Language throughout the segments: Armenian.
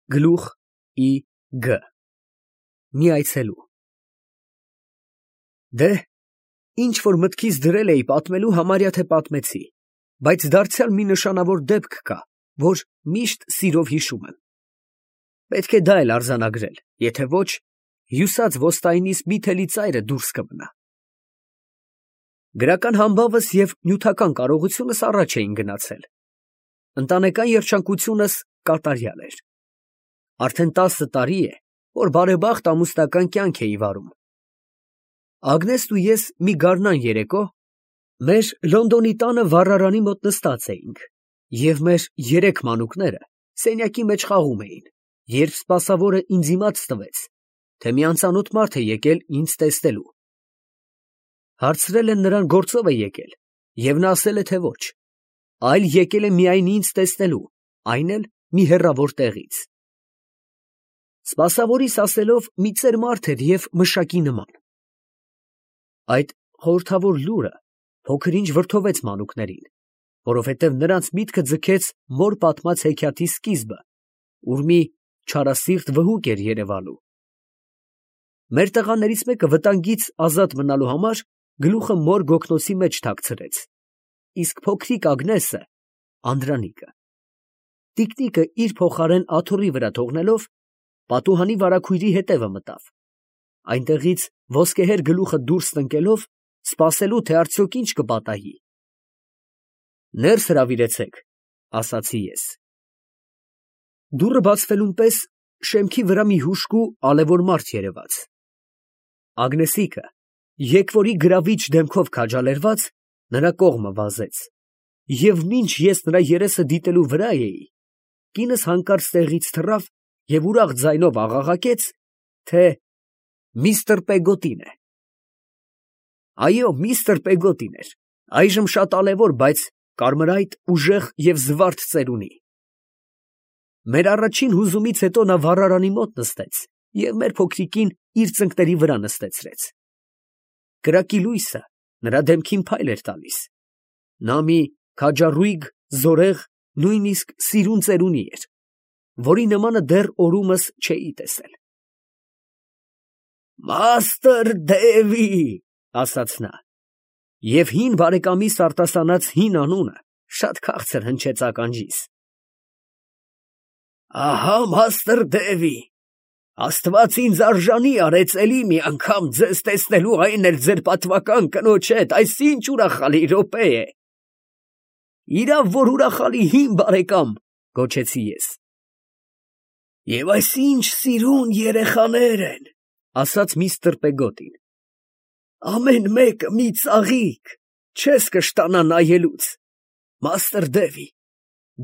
Գլուխ ի Գ Մի այցելու Դե, ինչ որ մտքիս դրել էի պատմելու, համարյա թե պատմեցի, բայց դարձյալ մի նշանավոր դեպք կա, որ միշտ սիրով հիշում եմ. պետք է դա էլ արձանագրել, եթե ոչ, հյուսած ոստայինիս մի թելի ծայրը դուրս կմնա։ Գրական համբավս և նյութական կարողությունս առաջ էին գնացել, ընտանեկան երջանկությունս կատարյալ էր։ Արդեն 10 տարի է, որ բարեբախտ ամուսնական կյանք էի վարում։ Ագնեսն ու ես մի գարնան երեկո մեր Լոնդոնի տանը վառարանի մոտ նստած էինք, և մեր 3 մանուկները սենյակի մեջ խաղում էին, երբ սպասավորը ինձ իմաց տվեց, թե մի անծանոթ մարդ է եկել ինձ տեսնելու։ Հարցրել են նրան գործով է եկել, և նա ասել է, թե ոչ, այլ եկել է միայն ինձ տեսնելու, այն էլ մի հեռավոր տեղից։ Սպասավորիս ասելով մի ծեր մարդ էր և մշակի նման։ Այդ խորհրդավոր լուրը փոքր-ինչ վրդովեց մանուկներին, որովհետև նրանց միտքը ձգեց մոր պատմած հեքիաթի սկիզբը, ուր մի չարասիրտ վհուկ էր երևալու։ Մեր տղաներից մեկը վտանգից ազատ մնալու համար գլուխը մոր գոգնոցի մեջ թաքցրեց, իսկ փոքրիկ Ագնեսը Անդրանիկը տիկնիկը իր փոխարեն աթոռի վրա թողնելով, պատուհանի վարագույրի հետևը մտավ, այնտեղից ոսկեհեր գլուխը դուրս տնկելով, սպասելու, թե արդյոք ինչ կպատահի։ Ներս հրավիրեցեք, ասացի ես։ Դուռը բացվելուն պես շեմքի վրա մի հուժկու ալևոր մարդ երևաց։ Ագնեսիկը, եկվորի գրավիչ դեմքով քաջալերված, նրա կողմը վազեց, և մինչ ես նրա երեսը դիտելու վրա էի, կինս հանկարծ տեղից թռավ և ուրախ ձայնով աղաղակեց, թե միստր Պեգոտին է։ Այո, միստր Պեգոտին էր, այժմ շատ ալևոր, բայց կարմրայտ, ուժեղ և զվարթ ծեր ունի։ Մեր առաջին հուզումից հետո նա վառարանի մոտ նստեց և մեր փոքրիկին իր ծնկների վրա նստեցրեց։ Կրակի լույսը նրա դեմքին փայլ էր տալիս։ Նա մի քաջառույգ, զորեղ, նույնիսկ սիրուն ծերունի էր, որի նմանը դեռ օրումս չէի տեսել։ «Մաստր Դևի», ասաց նա, և հին բարեկամիս արտասանած հին անունը շատ քաղցր հնչեց ականջիս։ «Ահա մաստր Դևի, Աստված ինձ արժանի արեց էլի մի անգամ ձեզ տեսնելու, այն էլ ձեր պատվական կնոջ հետ, այս ինչ ուրախալի րոպե է»։ «Իրավ որ ուրախալի, հին բարեկամ», գոչեցի ես։ «Եվ այս ինչ սիրուն երեխաներ են», ասաց միստր Պեգոտին։ «Ամեն մեկը մի ծաղիկ, չես կշտանա նայելուց։ Մաստր Դևի,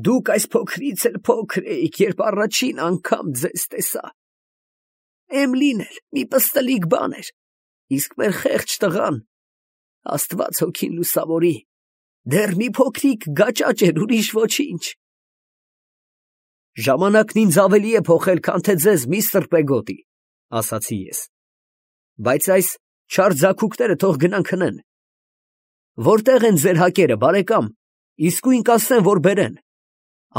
դուք այս փոքրից էլ փոքր էիք, երբ առաջին անգամ ձեզ տեսա։ Էմլին էլ մի պստլիկ բան էր, իսկ մեր խեղճ տղան, Աստված հոգին լուսավորի, դեռ մի փոքրիկ գաճաճ էր, ուրիշ ոչինչ։ Ժամանակն ինձ ավելի է փոխել, քան թե ձեզ, միստր Պեգոտի, ասացի ես, բայց այս չար ձագուկները թող գնան քնեն։ Որտե՞ղ են ձեր հակերը, բարեկամ, իսկույն կասեն, որ բերեն։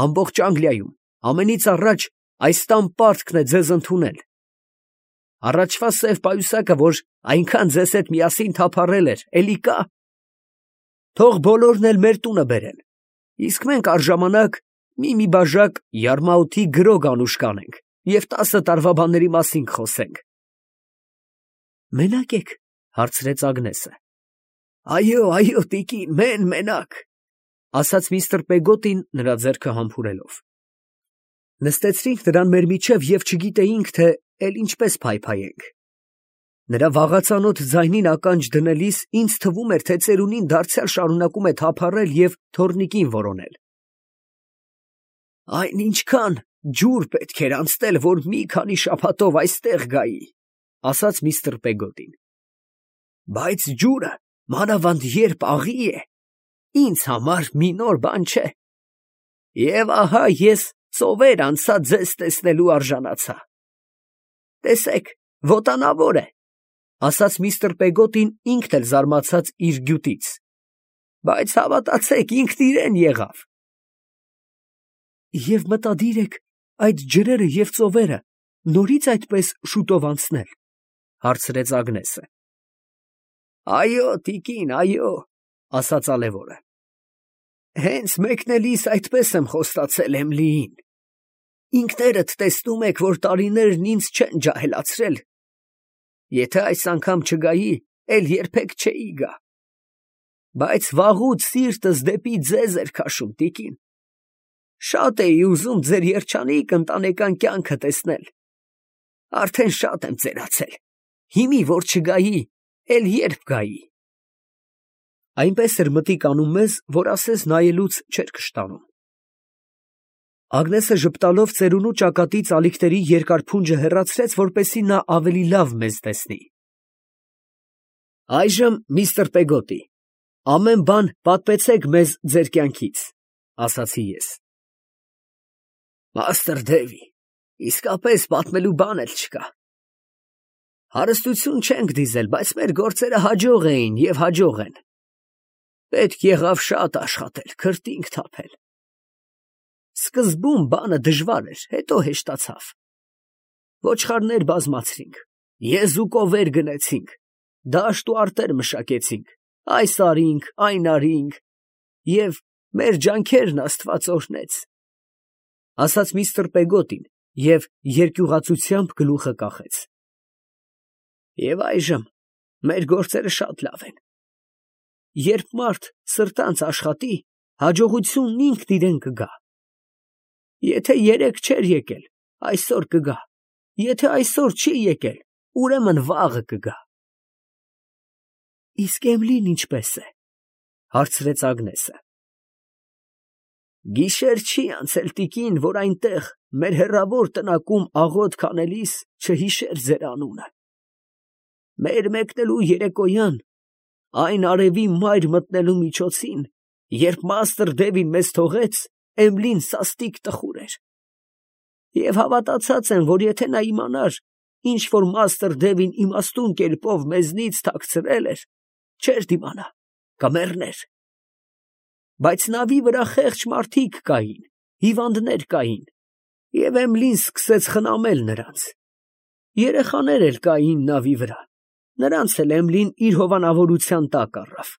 Ամբողջ Անգլիայում ամենից առաջ այս տան պարտքն է ձեզ ընդունել։ Առաջվա սև պայուսակը, որ այնքան ձեզ հետ միասին թափառել էր, էլի կա։ Թող բոլորն էլ մեր տունը բերեն, իսկ մենք առժամանակ մի բաժակ յարմաութի գրոգ անուշ կանենք և 10 տարվա բաների մասին կխոսենք։ Մենա՞կ եք, հարցրեց Ագնեսը։ Այո, տիկին, մենակ, ասաց միստր Պեգոտին նրա ձեռքը համբուրելով։ Նստեցրինք նրան մեր միջև և չգիտեինք, թե էլ ինչպես փայփայենք։ Նրա վաղածանոթ ձայնին ականջ դնելիս ինձ թվում էր, թե ծերունին դարձյալ շարունակում է թափառել և թոռնիկին որոնել։ Այն ինչքան ջուր պետք էր անցնել, որ մի քանի շաբաթով այստեղ գայի, ասաց միստր Պեգոտին։ Բայց ջուրը, մանավանդ երբ աղի է, ինձ համար մի նոր բան չէ։ Եվ ահա ես ծովեր անցա ձեզ տեսնելու արժանացա։ Տեսեք, ոտանավոր է, ասաց միստր Պեգոտին ինքն էլ զարմացած իր գյուտից, բայց հավատացեք, ինքն իրեն եղավ։ Եվ մտադիր եք այդ ջրերը և ծովերը նորից այդպես շուտով անցնել, հարցրեց Ագնեսը։ Այո, տիկին, այո, ասաց ալևորը։ Հենց մեկնելիս այդպես եմ խոստացել Էմլիին։ Ինքներդ տեսնում եք, որ տարիներն ինձ չեն ջահելացրել։ Եթե այս անգամ չգայի, էլ երբեք չէի գա։ Բայց վաղուց սիրտս դեպի ձեզ էր քաշում, տիկին։ Շատ էի ուզում ձեր երջանիկ ընտանեկան կյանքը տեսնել։ Արդեն շատ եմ ծերացել։ Հիմի որ չգայի, էլ երբ գայի։ Այնպես էր մտիկ անում մեզ, որ ասես նայելուց չէր կշտանում։ Ագնեսը ժպտալով ծերունու ճակատից ալիքների երկար փունջը հեռացրեց, որպեսզի նա ավելի լավ մեզ տեսնի։ Այժմ, միստր Պեգոտի, ամեն բան պատմեցեք մեզ ձեր կյանքից, ասացի ես։ Մաստր Դևի, իսկապես պատմելու բան էլ չկա։ Հարստություն չենք դիզել, բայց մեր գործերը հաջող էին և հաջող են։ Պետք եղավ շատ աշխատել, քրտինք թափել։ Սկզբում բանը դժվար էր, հետո հեշտացավ։ Ոչխարներ բազմացրինք, եզուկովեր գնեցինք, դաշտ ու արտեր մշակեցինք, այս արինք, այն արինք, և մեր ջանքերն Աստված օրհնեց, ասաց միստր Պեգոտին և երկյուղացությամբ գլուխը կախեց։ Եվ այժմ մեր գործերը շատ լավ են։ Երբ մարդ սրտանց աշխատի, հաջողությունն ինքն իրեն կգա։ Եթե երեկ չէր եկել, այսօր կգա, եթե այսօր չի եկել, ուրեմն վաղը կգա։ Իսկ Էմլին ինչպե՞ս է, հարցրեց Ագնեսը։ Գիշեր չի անցել, տիկին, որ այնտեղ մեր հեռավոր տնակում աղոթք անելիս չհիշեր ձեր անունը։ Մեր մեկնելու երեկոյան, այն արևի մայր մտնելու միջոցին, երբ մաստր Դևին մեզ թողեց, Էմլին սաստիկ տխուր էր։ Եվ հավատացած եմ, որ եթե նա իմանար, ինչ որ մաստր Դևին իմաստուն կերպով մեզնից թաքցրել էր, չէր դիմանա, կմեռներ։ Բայց նավի վրա խեղճ մարդիկ կային, հիվանդներ կային, և Էմլին սկսեց խնամել նրանց։ Երեխաներ էլ կային նավի վրա, նրանց էլ Էմլին իր հովանավորության տակ առավ։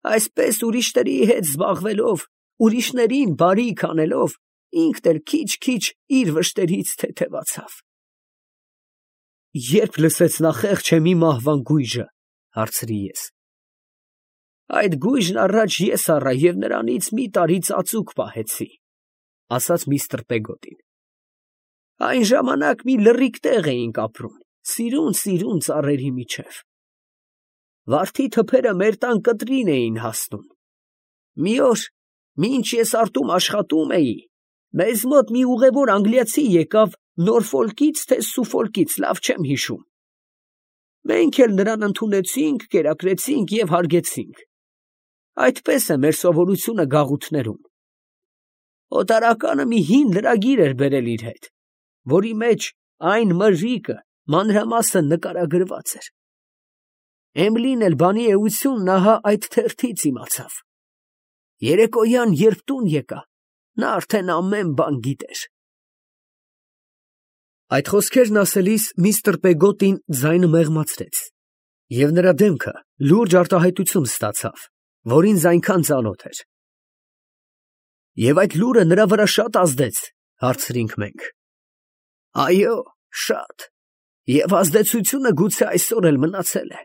Այսպես ուրիշների հետ զբաղվելով, ուրիշներին բարիք անելով, ինքն էլ քիչ-քիչ իր վշտերից թեթևացավ։ Երբ լսեց նա խեղճ Էմի մահվան գույժը, հարցրի ես։ Այդ գույժն առաջ ես առա և նրանից մի տարի ծածուկ պահեցի, ասաց միստր Պեգոտին։ Այն ժամանակ մի լռիկ տեղ էինք ապրում, սիրուն ծառերի միջև։ Վարդի թփերը մեր տան կտրին էին հասնում։ Մի օր, մինչ ես արտում աշխատում էի, մեզ մոտ մի ուղևոր անգլիացի եկավ Նորֆոլկից, թե Սուֆոլկից, լավ չեմ հիշում։ Մենք էլ նրան ընդունեցինք, կերակրեցինք և հարգեցինք։ Այդպես է մեր սովորությունը գաղութներում։ Օտարականը մի հին լրագիր էր բերել իր հետ, որի մեջ այն մրրիկը մանրամասն նկարագրված էր։ Էմլին էլ բանի էությունն ահա այդ թերթից իմացավ։ Երեկոյան, երբ տուն եկա, նա արդեն ամեն բան գիտեր։ Այդ խոսքերն ասելիս միստր Պեգոտին ձայնը մեղմացրեց, և նրա դեմքը լուրջ արտահայտություն ստացավ, որ ինձ այնքան ծանոթ էր։ Եվ այդ լուրը նրա վրա շատ ազդեց, հարցրինք մենք։ Այո, շատ, և ազդեցությունը գուցե այսօր էլ մնացել է,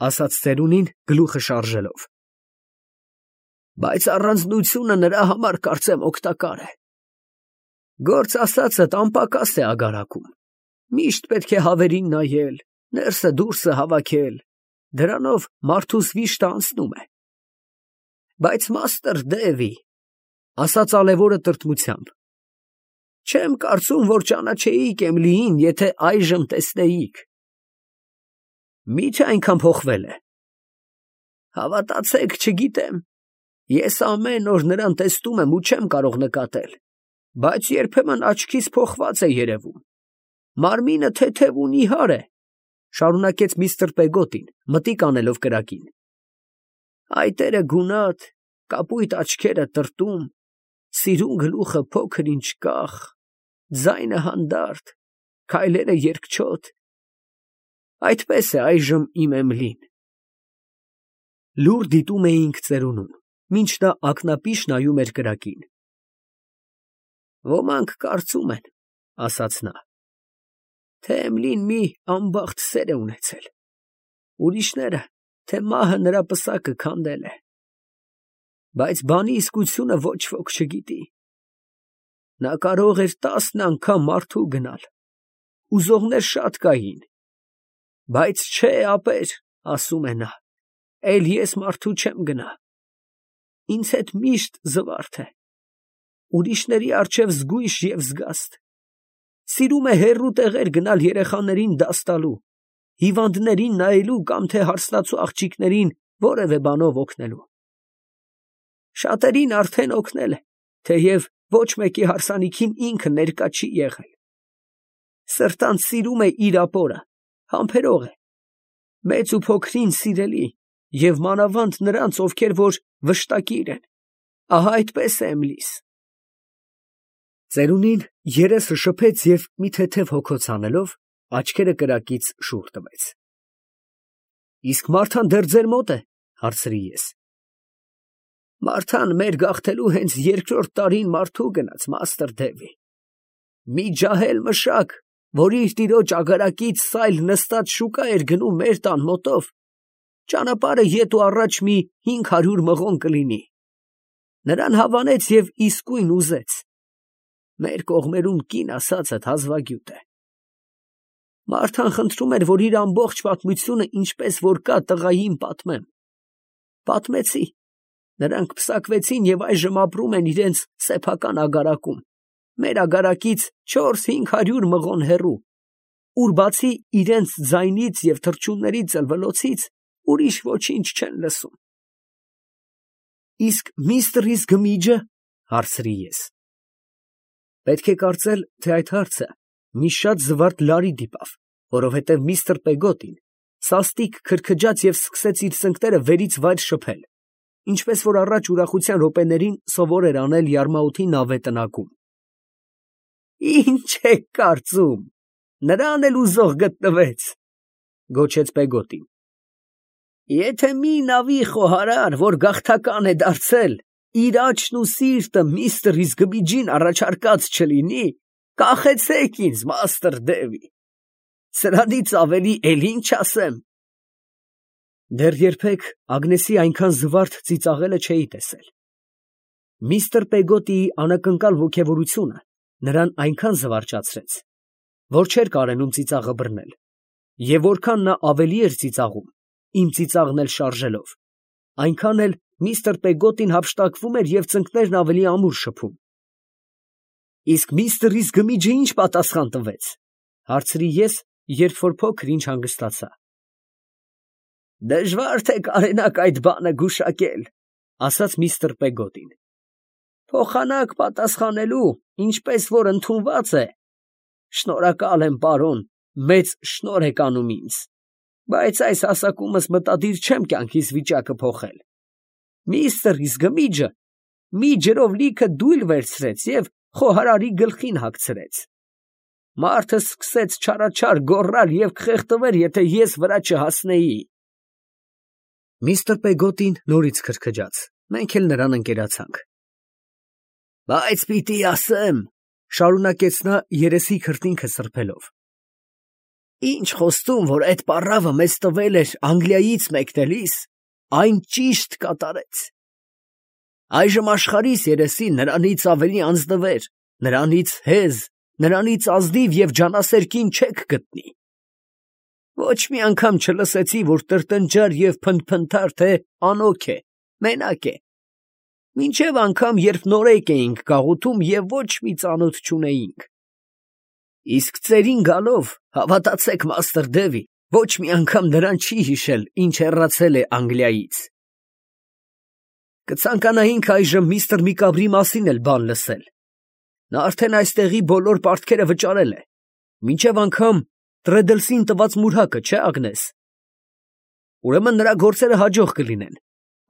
ասաց ծերունին գլուխը շարժելով։ Բայց առանձնությունը նրա համար կարծեմ օգտակար է։ Գործ ասածդ անպակաս է ագարակում, միշտ պետք է հավերին նայել, ներսը դուրսը հավաքել, դրանով մարդուս վիշտը անցնում է։ Բայց մաստր Դևի, ասաց ալևորը տրտմությամբ, չեմ կարծում, որ ճանաչեիք Էմլիին, եթե այժմ տեսնեիք։ Մի՞թե այնքան փոխվել է։ Հավատացեք, չգիտեմ, ես ամեն օր նրան տեսնում եմ ու չեմ կարող նկատել, բայց երբեմն աչքիս փոխված է երևում։ Մարմինը թեթև ու նիհար է, շարունակեց միստր Պեգոտին, մտիկ անելով կրակին։ Այտերը գունատ, կապույտ աչքերը տրտում, սիրուն գլուխը փոքր ինչ կախ, ձայնը հանդարտ, քայլերը երկչոտ, այդպես է այժմ իմ Էմիլին։ Լուռ դիտում էինք ծերունուն, մինչ նա ակնապիշ նայում էր կրակին։ Ոմանք կարծում են, ասաց նա, թե Էմիլին մի անբախտ սեր է ունեցել, ուրիշները, թե մահը նրա պսակը քանդել է, բայց բանի իսկությունը ոչ ոք չգիտի։ Նա կարող էր 10 անգամ մարդու գնալ, ուզողներ շատ կային, բայց չէ ապեր, ասում է նա, էլ ես մարդու չեմ գնա, ինձ հետ միշտ զվարթ է, ուրիշների առջև զգույշ և զգաստ, սիրում է հեռու տեղեր գնալ երեխաներին դաս տալու, հիվանդներին նայելու կամ թե հարսնացու աղջիկներին որևէ բանով օգնելու։ Շատերին արդեն օգնել է, թեև ոչ մեկի հարսանիքին ինքը ներկա չի եղել։ Սրտանց սիրում է իր ապորը, համբերող է, մեծ ու փոքրին սիրելի և մանավանդ նրանց, ովքեր որ վշտակիր են, ահա այդպես է Էմիլիս։ Ծերունին երեսը շփեց և մի թեթև հոգոց անելով, աչքերը կրակից շուռ տվեց։ Իսկ Մարթան դեռ ձեր մոտ է, հարցրի ես։ Մարթան մեր գաղթելու հենց 2-րդ տարին մարդու գնաց, մաստր Դևի։ Մի ջահել մշակ, որ իր տիրոջ ագարակից սայլ նստած շուկա էր գնում մեր տան մոտով, ճանապարհը ետ ու առաջ մի 500 մղոն կլինի։ Նրան հավանեց և իսկույն ուզեց։ Մեր կողմերում կին ասածդ հազվագյուտ է։ Մարթան խնդրում էր, որ իր ամբողջ պատմությունը ինչպես որ կա տղային պատմեմ։ Պատմեցի։ Նրանք պսակվեցին և այժմ ապրում են իրենց սեփական ագարակում, մեր ագարակից 400-500 մղոն հեռու, ուր բացի իրենց ձայնից և թռչունների ծլվլոցից ուրիշ ոչինչ չեն լսում։ Իսկ միստր Գմիջը, հարցրի ես։ Պետք է կարծել, թե այդ հարցը մի շատ զվարթ լարի դիպավ, որովհետև միստր Պեգոտին սաստիկ քրքջաց և սկսեց իր ծնկները վերից վայր շփել, ինչպես որ առաջ ուրախության րոպեներին սովոր էր անել Յարմաութի նավե տնակում։ Ինչ եք կարծում, նրան էլ ուզող գտնվեց, գոչեց Պեգոտին։ Եթե մի նավի խոհարար, որ գաղթական է դարձել, իր աչքն ու սիրտը միստր Գմիջին առաջարկած չլինի, կախեցեք ինձ, մաստր Դևի, սրանից ավելի էլ ինչ ասեմ։ Դեռ երբեք Ագնեսի այնքան զվարթ ծիծաղելը չէի տեսել։ Միստր Պեգոտիի անակնկալ ոգևորությունը նրան այնքան զվարճացրեց, որ չէր կարենում ծիծաղը բռնել, և որքան նա ավելի էր ծիծաղում, իմ ծիծաղն էլ շարժելով, այնքան էլ միստր Պեգոտին հափշտակվում էր և ծնկներն ավելի ամուր շփում։ Իսկ միստր Գմիջը ինչ պատասխան տվեց, հարցրի ես, երբ որ փոքր ինչ հանգստացա։ Դժվար թե կարենաք այդ բանը գուշակել, ասաց միստր Պեգոտին։ Փոխանակ պատասխանելու, ինչպես որ ընդունված է։ Շնորհակալ եմ, պարոն, մեծ շնորհ եք անում ինձ, բայց այս հասակումս մտադիր չեմ կյանքիս վիճակը փոխել։ Միստր Գմիջը մի ջրով լիքը դույլ վերցրեց և խոհարարի գլխին հագցրեց։ Մարդը սկսեց չարաչար գոռալ և կխեղդվեր, եթե ես վրա չհասնեի։ Միստր Պեգոտին նորից քրքջաց, մենք էլ նրան ընկերացանք։ Բայց պիտի ասեմ, շարունակեց նա երեսի քրտինքը սրբելով, ինչ խոստում, որ այդ պառավը մեզ տվել էր Անգլիայից մեկնելիս, այն ճիշտ կատարեց։ Այժմ աշխարհիս երեսին նրանից ավելի անձնվեր, նրանից հեզ, նրանից ազնիվ և ջանասեր կին չեք գտնի։ Ոչ մի անգամ չլսեցի, որ տրտնջար և փնթփնթար, թե անօգ է, մենակ է, մինչև անգամ, երբ նորեկ էինք գաղութում և ոչ մի ծանոթ չունեինք։ Իսկ ծերին գալով, հավատացեք, մաստր Դևի, ոչ մի անգամ նրան չի հիշել, ինչ հեռացել է Անգլիայից։ Կցանկանայինք այժմ միստր Միկաբրի մասին էլ բան լսել։ Նա արդեն այստեղի բոլոր պարտքերը վճարել է, մինչև անգամ Տրեդլսին տված մուրհակը, չէ՞ Ագնես։ Ուրեմն նրա գործերը հաջող կլինեն։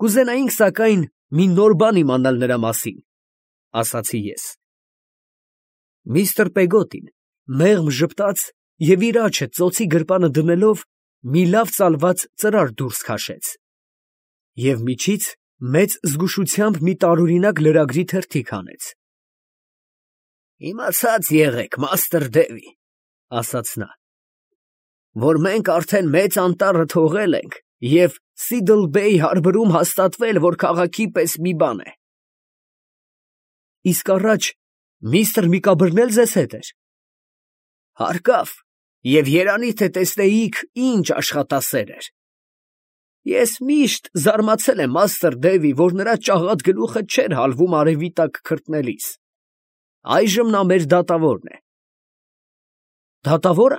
Կուզենայինք, սակայն, մի նոր բան իմանալ նրա մասին։ ասացի ես։ Միստր Պեգոտին մեղմ ժպտաց և իր աջը ծոցի գրպանը դնելով մի լավ ծալված ծրար դուրս քաշեց և միջից մեծ զգուշությամբ մի տարօրինակ լրագրի թերթիկ հանեց։ «Իմացած եղեք, մաստր Դևի, ֊ ասաց նա, ֊ որ մենք արդեն մեծ անտառը թողել ենք և Սիդլ Բեյ հարբրում հաստատվել, որ քաղաքի պես մի բան է։ ֊ Իսկ առաջ միստր Միկաբրն էլ ձեզ հետ էր։ ֊ Հարկավ, և երանի թե տեսնեիք, ինչ աշխատասեր էր։ Ես միշտ զարմացել եմ մաստր Դևի, որ նրա ճաղատ գլուխը չէր հալվում արևի տակ քրտնելիս։ Այժմ նա մեր դատավորն է։ ֊ Դատավո՞րը,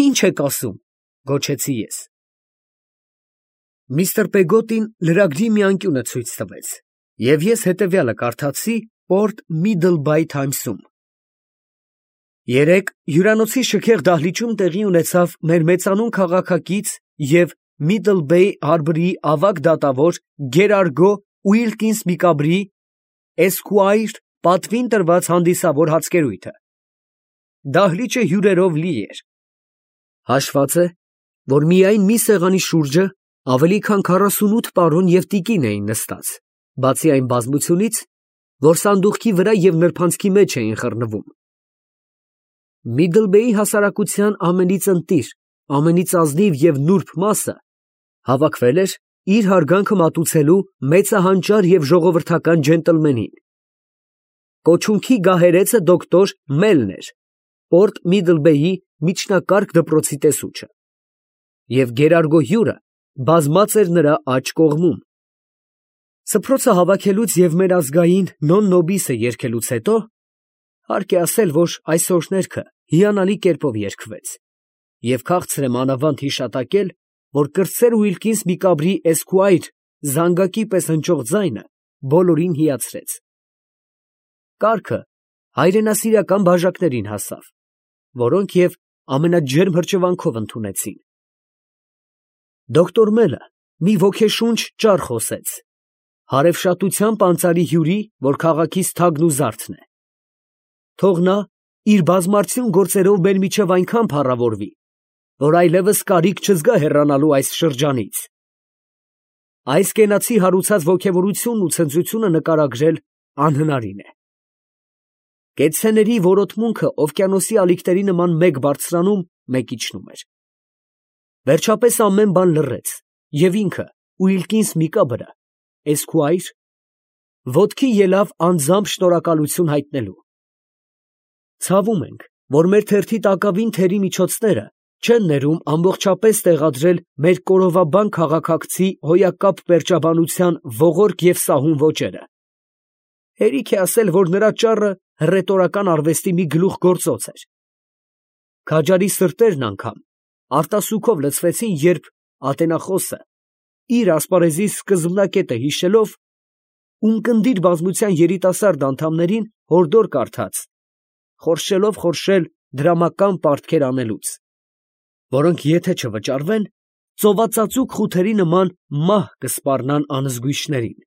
ի՞նչ եք ասում, ֊ գոչեցի ես։ Միստր Պեգոտին լրագրի մի անկյունը ցույց տվեց, և ես հետևյալը կարդացի Port Middlebay Times-ում. երեկ հյուրանոցի շքեղ դահլիճում տեղի ունեցավ մեր մեծանուն քաղաքակից և Middlebay Harbour-ի ավագ դատավոր Գերարգո Ուիլկինս Միկաբրի Esquire պատվին տրված հանդիսավոր հացկերույթը։ Դահլիճը հյուրերով լի էր։ Հաշված է, որ միայն մի սեղանի շուրջը ավելի քան 48 պարոն և տիկին էին նստած, բացի այն բազմությունից, որ սանդուղքի վրա և նրբանցքի մեջ էին խռնվում։ Միդլբեյի հասարակության ամենից ընտիր, ամենից ազնիվ և նուրբ մասը հավաքվել էր իր հարգանքը մատուցելու մեծահանճար և ժողովրդական ջենտլմենին։ Կոչունքի գահերեցը դոկտոր Մելն էր, Port Middlebay-ի միջնակարգ դպրոցի տեսուչը, և Գերարգո հյուրը բազմած էր նրա աջ կողմում։ Սփռոցը հավաքելուց և մեր ազգային «Non nobis»-ը երգելուց հետո, հարկ է ասել, որ այս օրհներգը հիանալի կերպով երգվեց, և քաղցր եմ անավանդ հիշատակել, որ կրտսեր Ուիլկինս Միկաբրի Esquire զանգակի պես հնչող ձայնը բոլորին հիացրեց։ Կառքը հայրենասիրական բաժակներին հասավ, որոնք և ամենաջերմ հրճվանքով ընդունեցին։ Դոկտոր Մելը մի ոգեշունչ ճառ խոսեց, հարևշատությամբ անցալի հյուրի, որ քաղաքից թագն ու զարդն է։ Թող նա իր բազմարդյուն գործերով մեր միջև այնքան փառավորվի, որ այլևս կարիք չզգա հեռանալու այս շրջանից։ Այս կենացի հարուցած ոգևորությունն ու ցնծությունը նկարագրել անհնարին է։ Կեցցեների որոտմունքը օվկիանոսի ալիքների նման մեկ բարձրանում, մեկ իջնում էր։ Վերջապես ամեն բան լռեց, և ինքը Ուիլկինս Միկաբրը Esquire ոտքի ելավ անձամբ շնորհակալություն հայտնելու։ Ցավում ենք, որ մեր թերթի տակավին թերի միջոցները չեն ներում ամբողջապես տեղադրել մեր կորովաբան քաղաքակցի հոյակապ պերճաբանության ողորկ և սահուն ոճերը։ Հերիք է ասել, որ նրա ճառը հռետորական արվեստի մի գլուխգործոց էր։ Քաջարի սրտերն անգամ արտասուքով լցվեցին, երբ ատենախոսը, իր ասպարեզի սկզբնակետը հիշելով, ունկնդիր բազմության երիտասարդ անդամներին հորդոր կարդաց, խորշելով խորշել դրամական պարտքեր անելուց, որոնք եթե չվճարվեն, ծովածածուկ խութերի նման մահ կսպառնան անզգույշներին։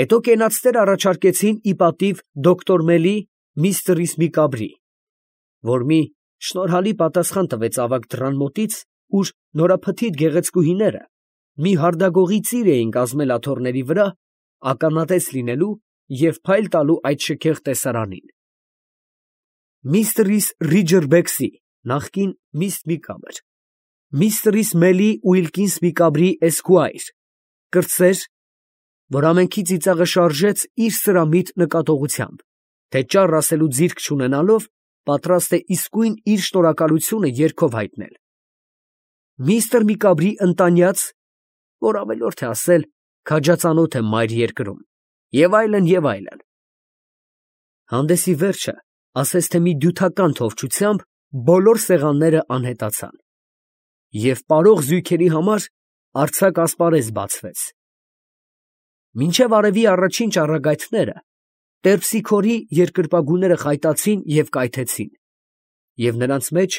Հետո կենացներ առաջարկեցին ի պատիվ դոկտոր Մելի միստրիս Միկաբրի, որ մի շնորհալի պատասխան տվեց ավագ դռան մոտից, ուր նորափթիթ գեղեցկուհիները մի հարդագողի ծիր էին կազմել աթոռների վրա, ականատես լինելու և փայլ տալու այդ շքեղ տեսարանին։ Միստրիս Ռիջերբեքսի (նախկին Միսս Միկաբր), միստրիս Մելի Ուիլկինս Միկաբրի Esquire, կրտսեր, որ ամենքի ծիծաղը շարժեց իր սրամիտ նկատողությամբ, թե ճառ ասելու ձիրք չունենալով, պատրաստ է իսկույն իր շնորհակալությունը երգով հայտնել։ Միստր Միկաբրի ընտանյաց, որ ավելորդ է ասել, քաջածանոթ է մայր երկրում, և այլն, և այլն։ Հանդեսի վերջը ասես թե մի դյութական թովչությամբ բոլոր սեղանները անհետացան, և պարող զույգերի համար արձակ ասպարեզ բացվեց։ Մինչև արևի առաջին ճառագայթները Տերպսիքորի երկրպագուները խայտացին և կայթեցին, և նրանց մեջ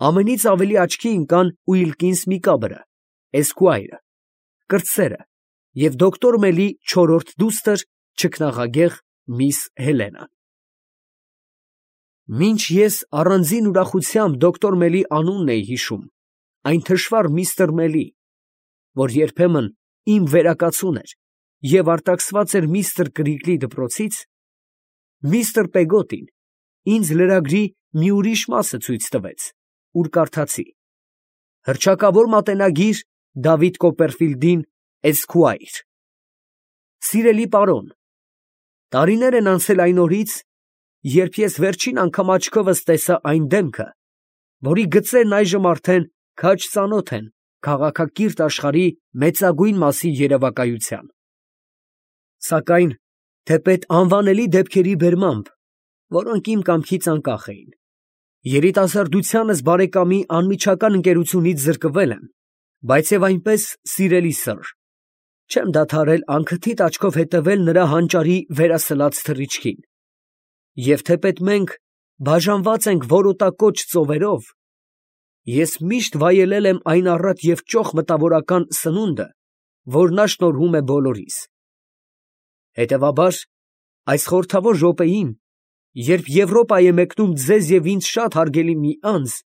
ամենից ավելի աչքի ընկան Ուիլկինս Միկաբրը, Esquire, կրտսերը և դոկտոր Մելի չորրորդ դուստր, չքնաղագեղ միս Հելենան։ Մինչ ես առանձին ուրախությամբ դոկտոր Մելի անունն էի հիշում, այն թշվառ միստր Մելի, որ երբեմն իմ վերակացուն էր և արտաքսված էր միստր Կրիգլի դպրոցից, միստր Պեգոտին ինձ լրագրի մի ուրիշ մասը ցույց տվեց, ուր կարդացի. հռչակավոր մատենագիր Դավիթ Կոպերֆիլդին Էսքուայր։ Սիրելի պարոն, տարիներ են անցել այն օրից, երբ ես վերջին անգամ աչքովս տեսա այն դեմքը, որի գծերն այժմ արդեն քաջ ծանոթ են քաղաքակիրթ աշխարհի մեծագույն մասի երևակայության։ Սակայն թեպետ անվանելի դեպքերի բերմամբ, որոնք իմ կամքից անկախ էին, երիտասարդությանս բարեկամի անմիջական ընկերությունից զրկվել եմ, բայց և այնպես, սիրելի սըր, չեմ դադարել անքթիթ աչքով հետևել նրա հանճարի վերասլաց թռիչքին, և թեպետ մենք բաժանված ենք որոտակոչ ծովերով, ես միշտ վայելել եմ այն առատ և ճոխ մտավորական սնունդը, որ նա շնորհում է բոլորիս։ Հետևաբար, այս խորհրդավոր րոպեին, երբ Եվրոպա է մեկնում ձեզ և ինձ շատ հարգելի մի անձ,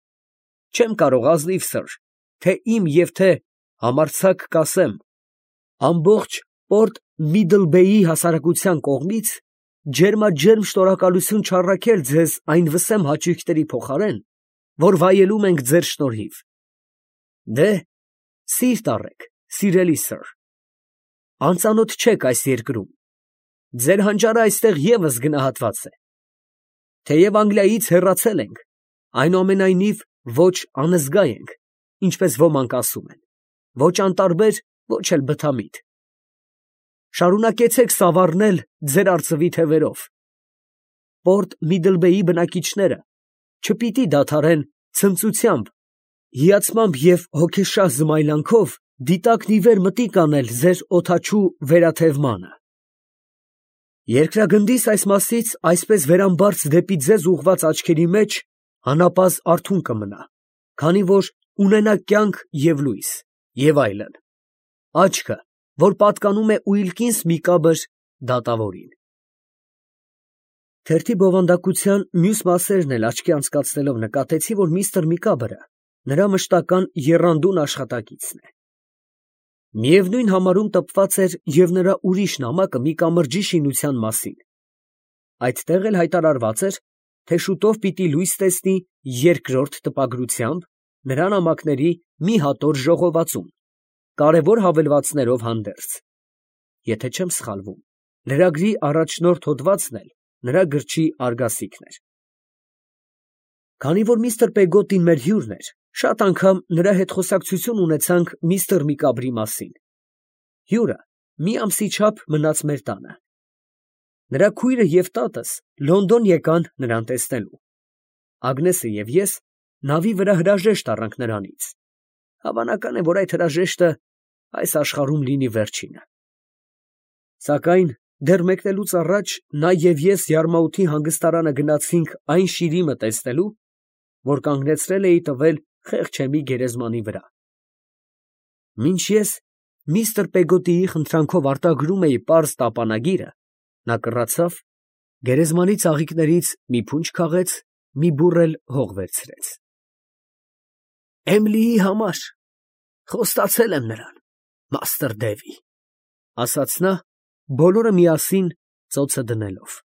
չեմ կարող ազնիվ սըր, թե իմ և թե համարձակ կասեմ, ամբողջ Պորտ Միդլբեյի հասարակության կողմից ջերմաջերմ շնորհակալություն չառաքել ձեզ այն վսեմ հաճույքների փոխարեն, որ վայելում ենք ձեր շնորհիվ։ Դե, սիրտ առեք, սիրելի սըր, անծանոթ չեք այս երկրում, ձեր հանճարը այստեղ ևս գնահատված է։ Թեև Անգլիայից հեռացել ենք, այնուամենայնիվ ոչ անզգա ենք, ինչպես ոմանք ասում են, ոչ անտարբեր, ոչ էլ բթամիտ։ Շարունակեցեք սավառնել ձեր արծվի թևերով։ Պորտ Միդլբեյի բնակիչները չպիտի դադարեն ցնծությամբ, հիացմամբ և հոգեշահ զմայլանքով դիտակն ի վեր մտիկ անել ձեր օդաչու վերաթևմանը։ Երկրագնդիս այս մասից այսպես վերամբարձ դեպի ձեզ ուղղված աչքերի մեջ անապազ් արթուն կմնա, քանի որ ունենա կյանք և լույս, և այլն, աչքը, որ պատկանում է Ուիլկինս Միկաբր դատավորին։ Թերթի բովանդակության մյուս մասերն էլ աչքի անցկացնելով նկատեցի, որ միստր Միկաբրը նրա մշտական եռանդուն աշխատակիցն է։ Միևնույն համարում տպված էր և նրա ուրիշ նամակը մի կամրջի շինության մասին։ Այդտեղ էլ հայտարարված էր, թե շուտով պիտի լույս տեսնի երկրորդ տպագրությամբ նրա նամակների մի հատոր ժողովածուն, կարևոր հավելվածներով հանդերձ։ Եթե չեմ սխալվում, լրագրի առաջնորդ հոդվածն էլ նրա գրչի արգասիքն էր։ Քանի որ միստր Պեգոտին մեր հյուրն էր, շատ անգամ նրա հետ խոսակցություն ունեցանք միստր Միկաբրի մասին։ Հյուրը մի ամսի չափ մնաց մեր տանը։ Նրա քույրը և տատս Լոնդոն եկան նրան տեսնելու։ Ագնեսը և ես նավի վրա հրաժեշտ առանք նրանից։ Հավանական է, որ այդ հրաժեշտը այս աշխարհում լինի վերջինը։ Սակայն դեռ մեկնելուց առաջ նա և ես Յարմաութի հանգստարանը գնացինք այն շիրիմը տեսնելու, որ կանգնեցրել էի տվել խեղճեմի գերեզմանի վրա։ Մինչ ես միստր Պեգոտիի խնդրանքով արտագրում էի պարզ տապանագիրը, նա կռացավ, գերեզմանի ծաղիկներից մի փունջ քաղեց, մի բուռ էլ հող վերցրեց։ «Էմլիի համար խոստացել եմ նրան, մաստր Դևի», ֊ ասաց նա, բոլորը միասին ծոցը դնելով։